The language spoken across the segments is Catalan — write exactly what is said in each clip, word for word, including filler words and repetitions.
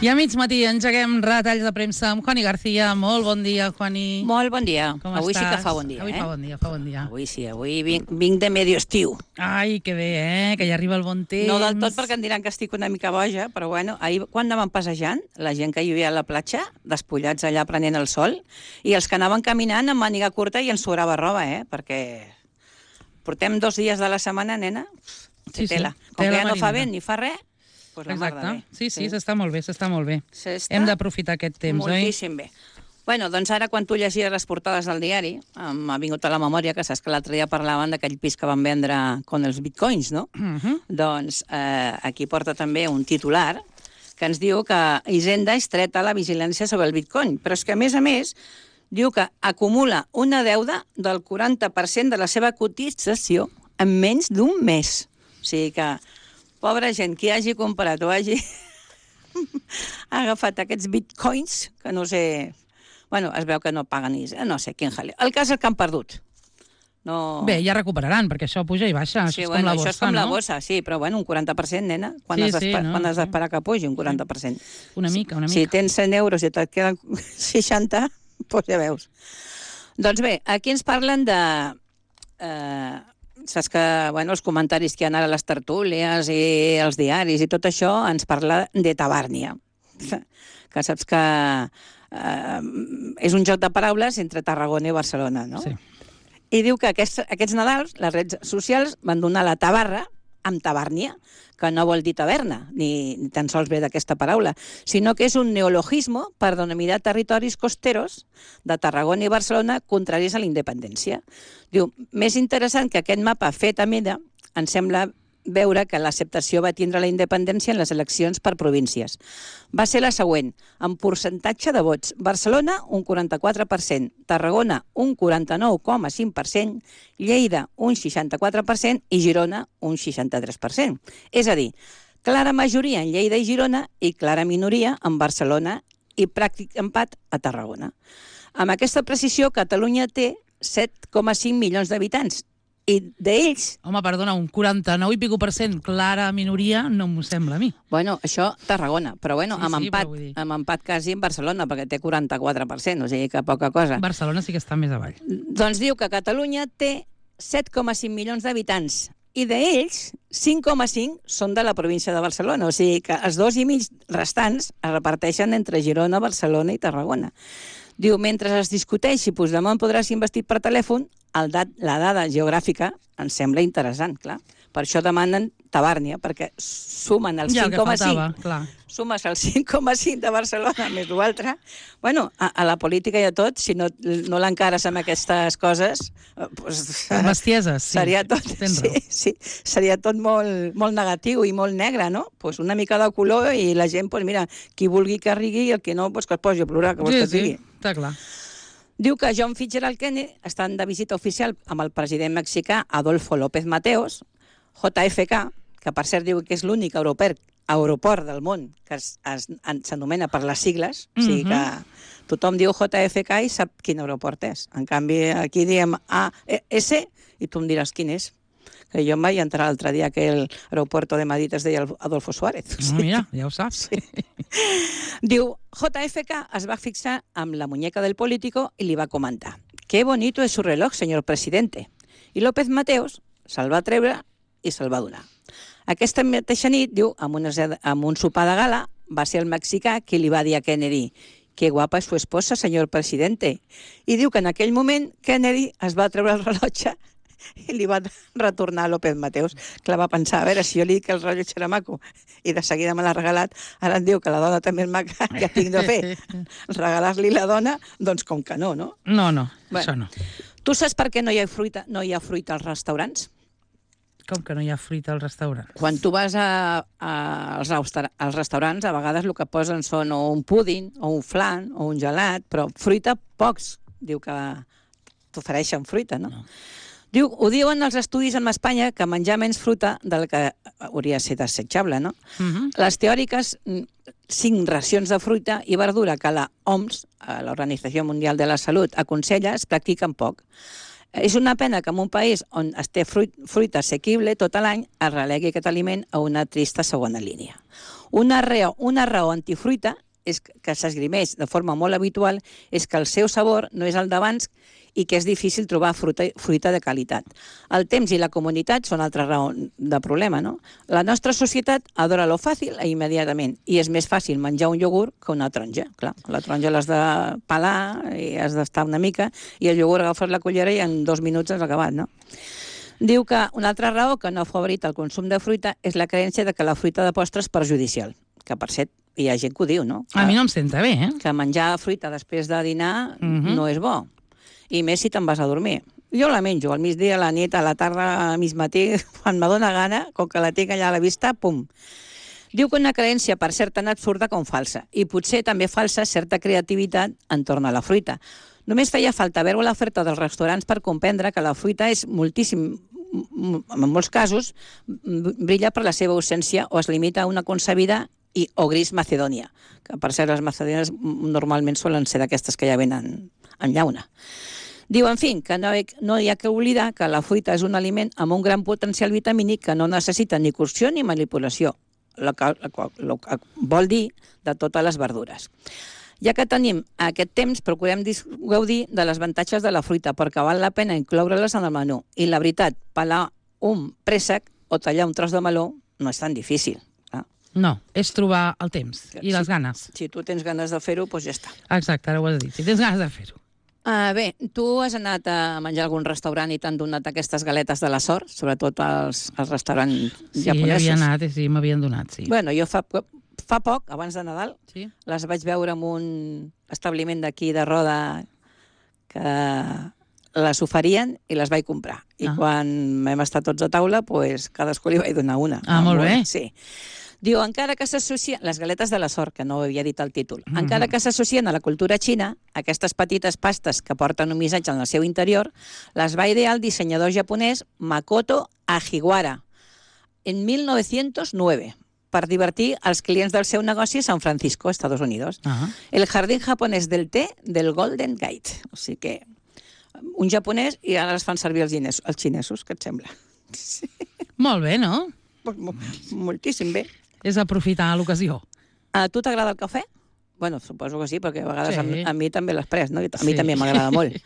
I a mig matí engeguem retalls de premsa amb Juani García. Molt bon dia, Juani. Molt bon dia. Com avui estàs? Sí que fa bon dia, avui eh? fa bon dia, fa bon dia. Avui sí, avui vinc, vinc de medio estiu. Ai, que bé, eh? Que ja arriba el bon temps. No del tot perquè em diran que estic una mica boja, però bueno, ahir quan anàvem passejant, la gent que hi havia a la platja, despullats allà prenent el sol, i els que anaven caminant amb màniga curta i ens sobrava roba, eh? Perquè portem dos dies de la setmana, nena, Sí, sí, tela. Com tela que ja no fa marinera. vent ni fa res, doncs la mar de Exacte. bé. Sí, sí, s'està molt bé, s'està molt bé. S'està Hem d'aprofitar aquest temps, oi? moltíssim bé. Bueno, doncs ara quan tu llegies les portades del diari, m'ha vingut a la memòria que saps que l'altre dia parlaven d'aquell pis que van vendre con els bitcoins, no? Uh -huh. Doncs eh, aquí porta també un titular que ens diu que Hisenda estreta la vigilància sobre el bitcoin, però és que a més a més diu que acumula una deuda del quaranta per cent de la seva cotització en menys d'un mes. O sigui que, pobra gent, qui hagi comprat o hagi agafat aquests bitcoins, que no sé... Bueno, es veu que no paguen ni... No sé, quin jaleo. El cas és que han perdut. No... Bé, ja recuperaran, perquè això puja i baixa. Sí, això és bueno, com la això borsa, és com no? la bossa, sí, però bueno, un quaranta per cent, nena. Quan Sí, has sí, d'esperar no, quan has sí. d'esperar que pugi, un quaranta per cent. Una mica, una mica. Si tens cent euros i et queden seixanta, doncs ja veus. Doncs bé, aquí ens parlen de... Eh, saps que, bueno, els comentaris que hi ha ara a les tertúlies i els diaris i tot això ens parla de Tabàrnia. Que saps que eh, és un joc de paraules entre Tarragona i Barcelona, no? Sí. I diu que aquests, aquests Nadals les redes socials van donar la tabarra amb Tabàrnia, que no vol dir taverna, ni, ni tan sols ve d'aquesta paraula, sinó que és un neologisme per denominar territoris costeros de Tarragona i Barcelona contraris a la independència. Diu, més interessant que aquest mapa fet a mida, em sembla veure que l'acceptació va tindre la independència en les eleccions per províncies. Va ser la següent, en percentatge de vots. Barcelona, un quaranta-quatre per cent, Tarragona, un quaranta-nou coma cinc per cent, Lleida, un seixanta-quatre per cent i Girona, un seixanta-tres per cent. És a dir, clara majoria en Lleida i Girona i clara minoria en Barcelona i pràctic empat a Tarragona. Amb aquesta precisió, Catalunya té set coma cinc milions d'habitants, i d'ells... Home, perdona, un quaranta-nou i pico per cent clara minoria no m'ho sembla a mi. Bueno, això Tarragona, però bueno, Sí, amb, sí, empat, però vull dir- amb empat quasi en Barcelona, perquè té quaranta-quatre per cent, o sigui que poca cosa. Barcelona sí que està més avall. Doncs diu que Catalunya té set coma cinc milions d'habitants i d'ells cinc coma cinc són de la província de Barcelona, o sigui que els dos i mig restants es reparteixen entre Girona, Barcelona i Tarragona. Diu, mentre es discuteix si Puigdemont podrà ser investit per telèfon, el dat, la dada geogràfica ens sembla interessant, clar. Per això demanen Tabàrnia, perquè sumen el Ja, el cinc que coma faltava, cinc. clar. Sumes el cinc coma cinc de Barcelona més l'altre. Bueno, a, a la política i a tot, si no, no l'encares amb aquestes coses, eh, pues, Les bestieses, sí. seria tot, Tens sí, raó. sí, seria tot molt, molt negatiu i molt negre, no? Pues una mica de color i la gent, pues mira, qui vulgui que rigui i el que no, pues que es posi a plorar, que vols Sí, que et digui. sí, està clar. Diu que John Fitzgerald Kennedy estan de visita oficial amb el president mexicà Adolfo López Mateos, J F K, que per cert diu que és l'únic aeroport, aeroport del món que es- es- en- s'anomena per les sigles, o sigui que tothom diu J F K i sap quin aeroport és. En canvi, aquí diem A S i tu em diràs quin és. Que jo em vaig entrar l'altre dia que el aeropuerto de Madrid es deia Adolfo Suárez. No, mira, ja ho saps. Diu, J F K es va fixar amb la muñeca del político i li va comentar «Qué bonito es su reloj, señor presidente». I López Mateos se'l va treure i se'l va donar. Aquesta mateixa nit, diu, amb, una, amb un sopar de gala, va ser el mexicà qui li va dir a Kennedy «Qué guapa es su esposa, señor presidente». I diu que en aquell moment Kennedy es va treure el rellotge i li va retornar a López Mateos. Clar, va pensar, a veure, si jo li dic que el rellotge era maco i de seguida me l'ha regalat, ara em diu que la dona també és maca, què tinc de fer? Regalar-li la dona? Doncs com que no, no? No, no, Bueno. això no. Tu saps per què no hi ha fruita, no hi ha fruita als restaurants? Com que no hi ha fruita al restaurant? Quan tu vas a, a, als, restaur als restaurants, a vegades el que posen són o un púding, o un flan, o un gelat, però fruita pocs. Diu que t'ofereixen fruita, no? no. Diu, ho diuen els estudis en Espanya que menjar menys fruita del que hauria de ser desitjable, no? Uh -huh. Les teòriques cinc racions de fruita i verdura que la O M S, l'Organització Mundial de la Salut, aconsella, es practiquen poc. És una pena que en un país on es té fruit, fruita assequible tot l'any es relegui aquest aliment a una trista segona línia. Una raó, una raó antifruita és que s'esgrimeix de forma molt habitual és que el seu sabor no és el d'abans i que és difícil trobar fruita, fruita de qualitat. El temps i la comunitat són altra raó de problema, no? La nostra societat adora lo fàcil i immediatament, i és més fàcil menjar un iogurt que una taronja. Clar, la taronja l'has de pelar i has d'estar una mica, i el iogurt agafes la cullera i en dos minuts has acabat, no? Diu que una altra raó que no favorit el consum de fruita és la creença de que la fruita de postre és perjudicial, que per cert, hi ha gent que ho diu, no? A mi no em senta bé, eh? Que menjar fruita després de dinar Mhm. no és bo. I més si te'n vas a dormir. Jo la menjo al migdia, a la nit, a la tarda, a mig matí, quan me dóna gana, com que la tinc allà a la vista, pum. Diu que una creença, per cert, tan absurda com falsa, i potser també falsa certa creativitat entorn a la fruita. Només feia falta veure l'oferta dels restaurants per comprendre que la fruita és moltíssim, en molts casos, brilla per la seva ausència o es limita a una concebida i o gris macedònia, que per cert les macedònies normalment solen ser d'aquestes que ja venen en llauna. Diu, en fi, que no, no hi ha que oblidar que la fruita és un aliment amb un gran potencial vitamínic que no necessita ni cocció ni manipulació, el que, el que vol dir de totes les verdures. Ja que tenim aquest temps, procurem gaudir de les avantatges de la fruita, perquè val la pena incloure-les en el menú. I la veritat, pelar un préssec o tallar un tros de meló no és tan difícil. No, és trobar el temps i les ganes. Si tu tens ganes de fer-ho, doncs ja està. Exacte, ara ho has dit. Si tens ganes de fer-ho. Uh, bé, tu has anat a menjar a algun restaurant i t'han donat aquestes galetes de la sort, sobretot als, als restaurants sí, japonesos. Sí, havia anat i sí, m'havien donat, sí. Bueno, jo fa, fa poc, abans de Nadal, sí? les vaig veure en un establiment d'aquí de Roda que les oferien i les vaig comprar. I ah. quan vam estar tots a taula, pues, cadascú li vaig donar una. Ah, molt bé. Sí. Diu, encara que s'associen... Les galetes de la sort, que no ho havia dit el títol. Mm-hmm. Encara que s'associen a la cultura xina, aquestes petites pastes que porten un missatge en el seu interior, les va idear el dissenyador japonès Makoto Ajiwara en mil nou-cents nou per divertir als clients del seu negoci a San Francisco, Estados Unidos. Ah. El jardín japonès del té del Golden Gate. O sigui que un japonès i ara les fan servir els, xinesos, els xinesos, què et sembla? Sí. Molt bé, no? Moltíssim bé. És aprofitar l'ocasió. A tu t'agrada el cafè? Bueno, suposo que sí, perquè a vegades sí. a, a mi també l'has pres, no? A mi sí. també m'agrada molt.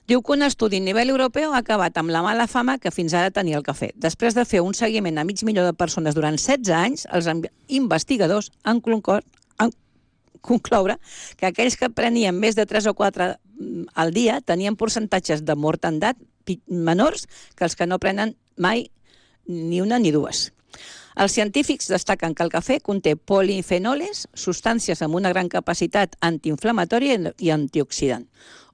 Diu que un estudi a nivell europeu ha acabat amb la mala fama que fins ara tenia el cafè. Després de fer un seguiment a mig milió de persones durant setze anys, els investigadors han concloure, han concloure que aquells que prenien més de tres o quatre al dia tenien percentatges de mortandat menors que els que no prenen mai ni una ni dues. Els científics destaquen que el cafè conté polifenoles, substàncies amb una gran capacitat antiinflamatòria i antioxidant.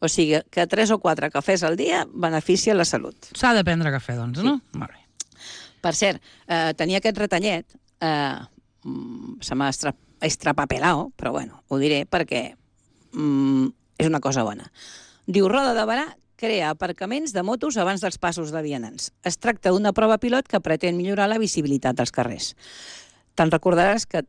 O sigui, que tres o quatre cafès al dia beneficia la salut. S'ha de prendre cafè, doncs, sí. no? Molt bé. Per cert, eh, tenia aquest retallet, eh, se m'ha estrapapelao, però bueno, ho diré perquè mm, és una cosa bona. Diu, Roda de Barà crea aparcaments de motos abans dels passos de vianants. Es tracta d'una prova pilot que pretén millorar la visibilitat dels carrers. Te'n recordaràs que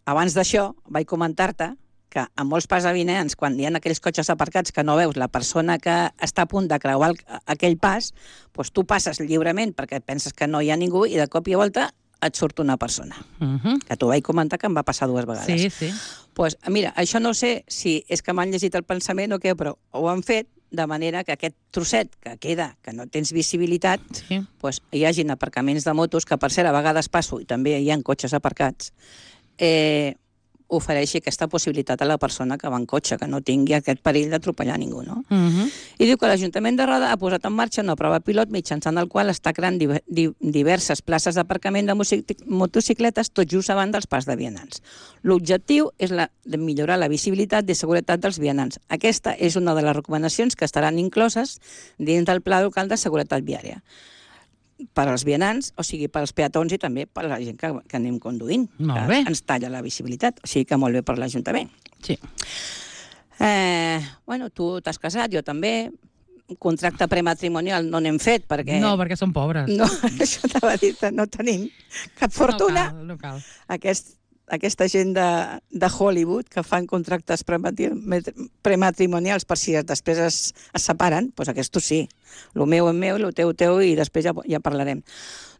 abans d'això vaig comentar-te que en molts pas de vianants, quan hi ha aquells cotxes aparcats que no veus la persona que està a punt de creuar aquell pas, doncs tu passes lliurement perquè penses que no hi ha ningú i de cop i volta et surt una persona. Uh-huh. Que t'ho vaig comentar que em va passar dues vegades. Sí, sí. Pues, mira, això no sé si és que m'han llegit el pensament o què, però ho han fet de manera que aquest trosset que queda, que no tens visibilitat, sí. pues, hi hagin aparcaments de motos, que per cert a vegades passo i també hi ha cotxes aparcats, eh, ofereixi aquesta possibilitat a la persona que va en cotxe, que no tingui aquest perill d'atropellar ningú, no? Uh-huh. I diu que l'Ajuntament de Roda ha posat en marxa una prova pilot mitjançant el qual està creant di di diverses places d'aparcament de motocicletes tot just abans dels pas de vianants. L'objectiu és la de millorar la visibilitat i seguretat dels vianants. Aquesta és una de les recomanacions que estaran incloses dins del Pla Local de Seguretat Viària. Per als vianants, o sigui, per als peatons i també per a la gent que, que anem conduint. Molt bé. Ens talla la visibilitat, o sigui que molt bé per l'Ajuntament. Sí. Eh, bueno, tu t'has casat, jo també. Un contracte prematrimonial no n'hem fet perquè... No, perquè som pobres. No, això t'ha dit, no tenim cap fortuna. No cal, no cal. Aquest, aquesta gent de, de Hollywood que fan contractes prematrimonials per si després es, es separen, doncs aquests sí. El meu és meu, el teu teu, i després ja, ja parlarem.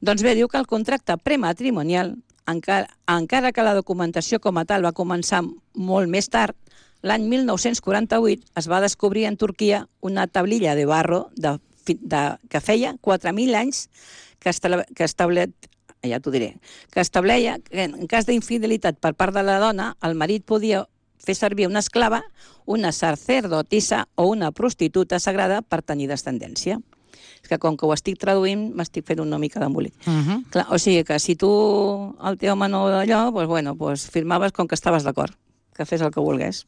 Doncs bé, diu que el contracte prematrimonial, encara, encara que la documentació com a tal va començar molt més tard, l'any mil nou-cents quaranta-vuit es va descobrir en Turquia una tablilla de barro de, de, que feia quatre mil anys que, esta, que establet ja t'ho diré, que estableia que en cas d'infidelitat per part de la dona, el marit podia fer servir una esclava, una sacerdotissa o una prostituta sagrada per tenir descendència. És que com que ho estic traduint, m'estic fent una mica d'embolic. Uh -huh. Clar, o sigui que si tu, el teu home no d'allò, doncs, bueno, doncs firmaves com que estaves d'acord, que fes el que volgués.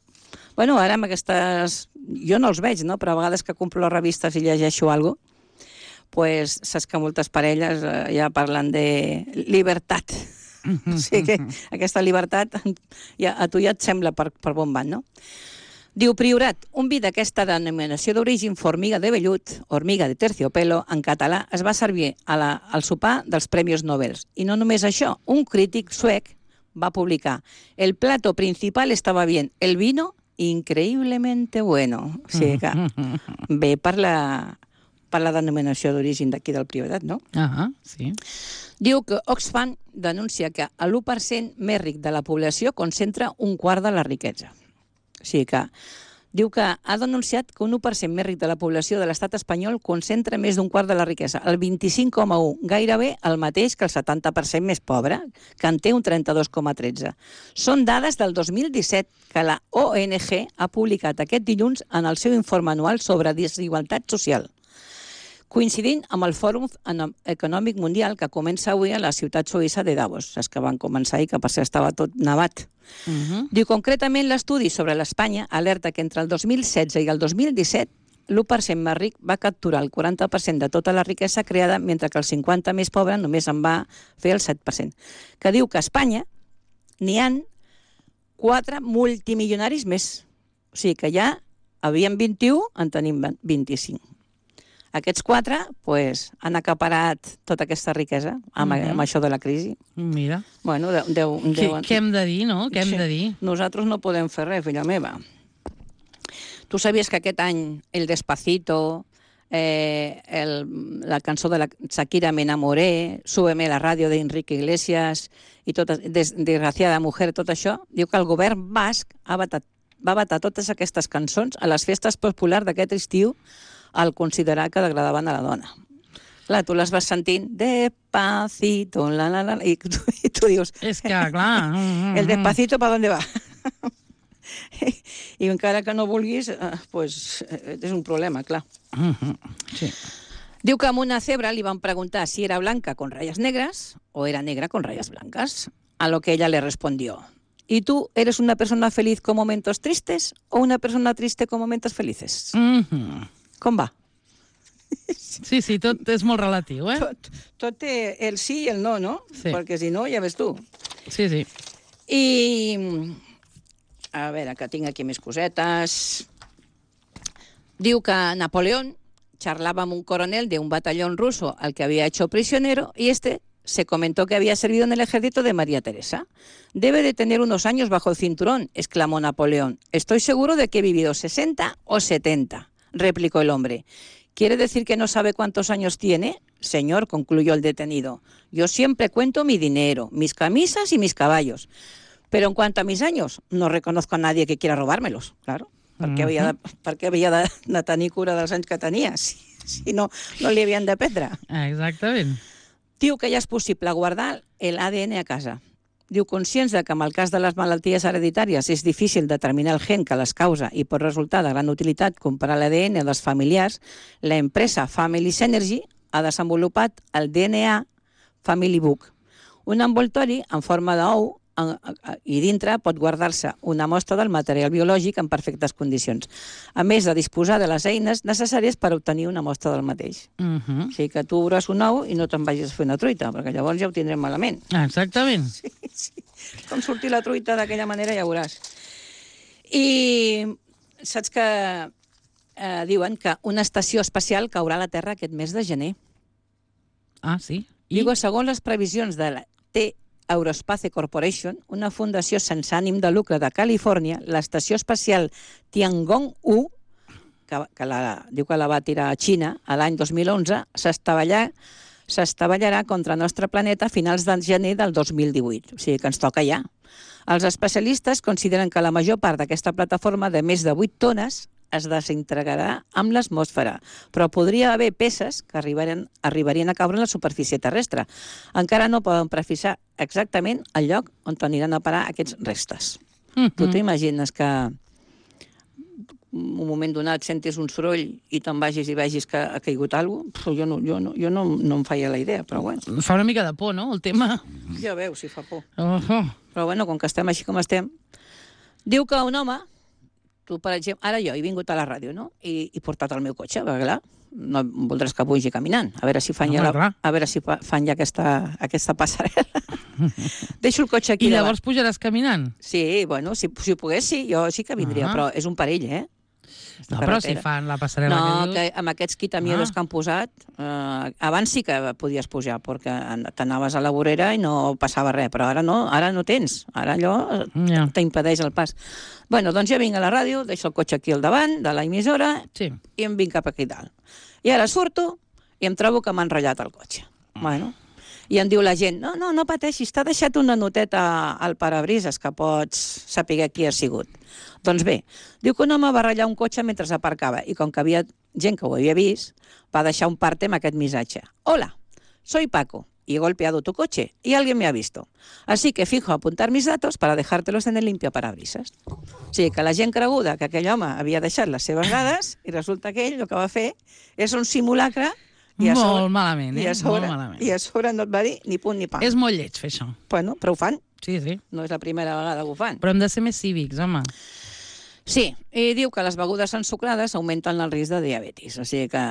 Bueno, ara amb aquestes... Jo no els veig, no? Però a vegades que compro les revistes i llegeixo alguna cosa, pues, saps que moltes parelles eh, ja parlen de llibertat. O sigui que aquesta llibertat ja, a tu ja et sembla per, per bon banc, no? Diu, Priorat, un vi d'aquesta denominació d'origen formiga de vellut, hormiga de terciopelo, en català, es va servir a la, al sopar dels Premis Nobel. I no només això, un crític suec va publicar el plato principal estava bien, el vino increíblemente bueno. O sigui que bé per la... per la denominació d'origen d'aquí del Priorat, no? Ah, sí. Diu que Oxfam denuncia que l'u per cent més ric de la població concentra un quart de la riquesa. O sigui que diu que ha denunciat que un u per cent més ric de la població de l'estat espanyol concentra més d'un quart de la riquesa, el vint-i-cinc coma u, gairebé el mateix que el setanta per cent més pobre, que en té un trenta-dos coma tretze. Són dades del dos mil disset que la O N G ha publicat aquest dilluns en el seu informe anual sobre desigualtat social, coincidint amb el Fòrum Econòmic Mundial que comença avui a la ciutat suïssa de Davos, saps que van començar i que per cert estava tot nevat. Uh -huh. Diu, concretament, l'estudi sobre l'Espanya alerta que entre el dos mil setze i el dos mil disset l'u per cent més ric va capturar el quaranta per cent de tota la riquesa creada, mentre que el cinquanta per cent més pobre només en va fer el set per cent. Que diu que a Espanya n'hi han quatre multimilionaris més. O sigui que ja havien vint-i-u, en tenim vint-i-cinc. Aquests quatre pues, han acaparat tota aquesta riquesa amb, uh -huh. amb això de la crisi. Mira. Bueno, deu, deu, què, què hem de dir, no? Què hem sí. de dir? Nosaltres no podem fer res, filla meva. Tu sabies que aquest any el Despacito, eh, el, la cançó de la Shakira Me enamoré, Súbeme la ràdio d'Enrique Iglesias i tota, des, Desgraciada mujer, tot això, diu que el govern basc ha batat, va batar totes aquestes cançons a les festes populars d'aquest estiu al considerar que degradaven a la dona. Clar, tu les vas sentint despacito, la, la, la, i tu, i tu dius... És que, clar... Mm, el despacito, ¿para dónde va? I encara que no vulguis, eh, pues, és un problema, clar. Mm -hmm. Sí. Diu que a una cebra li van preguntar si era blanca con rayas negras o era negra con rayas blancas, a lo que ella le respondió: ¿y tú eres una persona feliz con momentos tristes o una persona triste con momentos felices? Mm -hmm. Com va? Sí, sí, tot és molt relatiu, eh? Tot, tot té el sí i el no, no? Sí. Perquè si no, ja ves tu. Sí, sí. I, a veure, que tinc aquí més cosetes. Diu que Napoleón charlaba amb un coronel de un batallón ruso al que había hecho prisionero y este se comentó que había servido en el ejército de María Teresa. Debe de tener unos años bajo el cinturón, exclamó Napoleón. Estoy seguro de que he vivido sesenta o setenta. Replicó el hombre. ¿Quiere decir que no sabe cuántos años tiene? Señor, concluyó el detenido, yo siempre cuento mi dinero, mis camisas y mis caballos. Pero en cuanto a mis años, no reconozco a nadie que quiera robármelos, claro. Per què havia de, per què havia de, de tenir cura dels anys que tenia, si, si no, no li havien de prendre? Exactament. Diu que ja és possible guardar l'A D N a casa. Diu, conscients de que en el cas de les malalties hereditàries és difícil determinar el gen que les causa i pot resultar de gran utilitat comparar l'A D N dels familiars, la empresa Family Synergy ha desenvolupat el D N A Family Book, un envoltori en forma d'ou i dintre pot guardar-se una mostra del material biològic en perfectes condicions, a més de disposar de les eines necessàries per obtenir una mostra del mateix. Uh -huh. O sigui que tu veuràs un ou i no te'n vagis a fer una truita, perquè llavors ja ho tindrem malament. Exactament. Sí, sí. Com sortir la truita d'aquella manera ja veuràs. I saps que eh, diuen que una estació espacial caurà a la Terra aquest mes de gener. Ah, sí? I? Diu, segons les previsions de la T Aerospace Corporation, una fundació sense ànim de lucre de Califòrnia, l'estació espacial Tiangong u, que, que la, diu que la va tirar a Xina a l'any dos mil onze, s'estavellarà s'estavellarà contra el nostre planeta a finals de gener del dos mil divuit. O sigui que ens toca ja. Els especialistes consideren que la major part d'aquesta plataforma de més de vuit tones es desintegrarà amb l'atmosfera, però podria haver peces que arribarien, arribarien a caure en la superfície terrestre. Encara no poden precisar exactament el lloc on aniran a parar aquests restes. Mm-hmm. Tu t'imagines que un moment donat sentis un soroll i te'n vagis i vegis que ha caigut alguna cosa? Jo, no, jo, no, jo no, no em feia la idea, però bueno. Fa una mica de por, no?, el tema. Ja veus si fa por. Uh -huh. Però bueno, com que estem així com estem... Diu que un home, tu per exemple, ara jo he vingut a la ràdio, no?, i he portat el meu cotxe, perquè clar, no voldràs que pugi caminant, a veure si fan, no, ja, la, a veure si fan ja aquesta, aquesta passarel·la. Deixo el cotxe aquí. I llavors davant. Pujaràs caminant? Sí, bueno, si, si pogués, sí, jo sí que vindria, uh -huh. però és un perill, eh? No, però si fan la passarel·la no, que, que amb aquests quitamiedos ah. que han posat, eh, abans sí que podies pujar, perquè t'anaves a la vorera i no passava res, però ara no, ara no tens, ara allò yeah. t'impedeix el pas. Bueno, doncs ja vinc a la ràdio, deixo el cotxe aquí al davant de la emissora sí. i em vinc cap aquí dalt. I ara surto i em trobo que m'ha enrotllat el cotxe. Mm. Bueno, i em diu la gent, no, no, no pateixis, t'ha deixat una noteta al parabrises que pots saber qui ha sigut. Doncs bé, diu que un home va ratllar un cotxe mentre aparcava i com que havia gent que ho havia vist, va deixar un parte amb aquest missatge. Hola, soy Paco y he golpeado tu coche y alguien me ha visto. Así que fijo a apuntar mis datos para dejártelos en el limpiaparabrisas. O sigui, que la gent creguda que aquell home havia deixat les seves dades i resulta que ell el que va fer és un simulacre i a sobre, molt malament, eh? I a sobre, molt malament. I a sobre no et va dir ni punt ni pa. És molt lleig fer això. Bueno, però ho fan. Sí, sí. No és la primera vegada que ho fan. Però hem de ser més cívics, home. Sí, i diu que les begudes ensucrades augmenten el risc de diabetis, o sigui que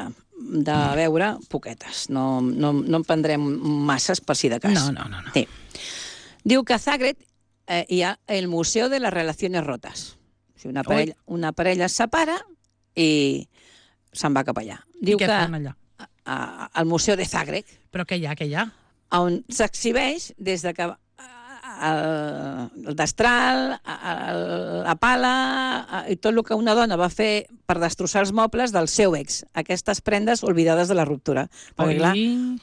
de beure poquetes, no, no, no en prendrem masses per si de cas. No, no, no. no. Sí. Diu que a Zagreb eh, hi ha el Museu de les Relaciones Rotas. O sigui, una, parella, una parella es separa i se'n va cap allà. Diu I què que fan allà? A, a, al Museu de Zagreb. Però què hi ha, què hi ha? On s'exhibeix des de que el, el destral, el, la pala i tot el que una dona va fer per destrossar els mobles del seu ex. Aquestes prendes oblidades de la ruptura. Perquè, clar,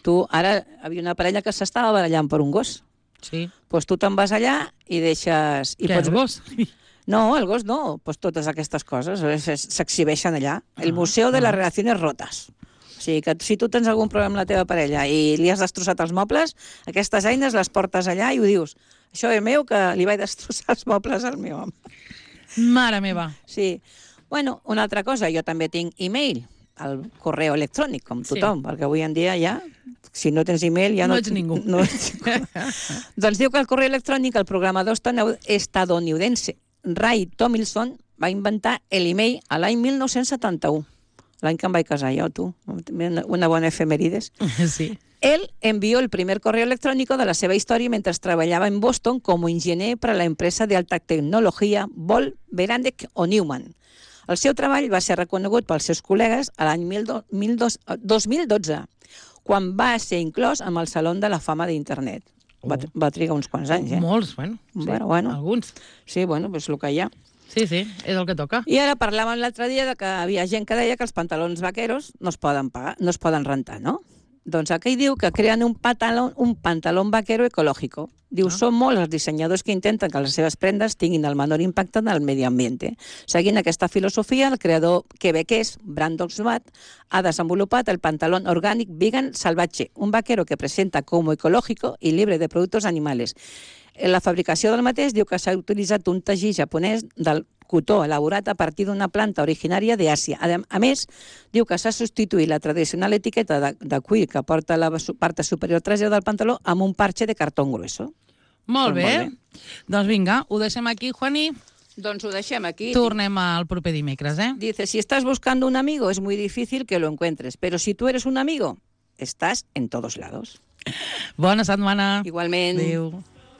tu, ara havia una parella que s'estava barallant per un gos. Sí. Doncs tu te'n vas allà i deixes... I Què, pots... el gos? No, el gos no. Doncs totes aquestes coses s'exhibeixen allà. El Museu de les Relaciones Rotas. O sigui, que si tu tens algun problema amb la teva parella i li has destrossat els mobles, aquestes eines les portes allà i ho dius. Això és meu, que li vaig destrossar els mobles al meu home. Mare meva. Sí. Bueno, una altra cosa, jo també tinc e-mail, el correu electrònic, com tothom, sí. Perquè avui en dia ja, si no tens e-mail, ja no... No ets ningú. No ets ningú. Doncs diu que el correu electrònic, el programador estadounidense Ray Tomlinson va inventar l'e-mail a l'any mil nou-cents setanta-u. L'any que em vaig casar jo, tu. Una bona efemérides. Sí. Él envió el primer correo electrónico de la seva història mentre trabajaba en Boston como enginyer para la empresa de alta tecnologia Ball, Beranek o Newman. El seu treball va ser reconegut pels seus col·legues a l'any dos mil dotze, quan va ser inclòs amb el Salón de la Fama d'Internet. Oh. Va, va trigar uns quants anys, eh? Molts, bueno. Sí, bueno, bueno. Alguns. Sí, bueno, és el que hi ha. Sí, sí, és el que toca. I ara parlàvem l'altre dia de que havia gent que deia que els pantalons vaqueros no es poden pagar, no es poden rentar, no? Doncs aquí diu que creen un pantalón, un pantalón vaquero ecològic. Diu, ah. Són molts els dissenyadors que intenten que les seves prendes tinguin el menor impacte en el medi ambient. Seguint aquesta filosofia, el creador quebequès, Brandon Swatt, ha desenvolupat el pantalón orgànic vegan salvatge, un vaquero que presenta com ecològic i libre de productes animals. En la fabricació del mateix diu que s'ha utilitzat un teixit japonès del cotó elaborat a partir d'una planta originària d'Àsia. A més, diu que s'ha substituït la tradicional etiqueta de, de cuir que porta la part superior trasera del pantaló amb un parche de cartó grueso. Molt bé. Molt bé. Doncs vinga, ho deixem aquí, Juani. Doncs ho deixem aquí. Tornem al proper dimecres, eh? Dice, si estás buscando un amigo es muy difícil que lo encuentres, pero si tú eres un amigo, estás en todos lados. Bona setmana. Igualment. Adéu.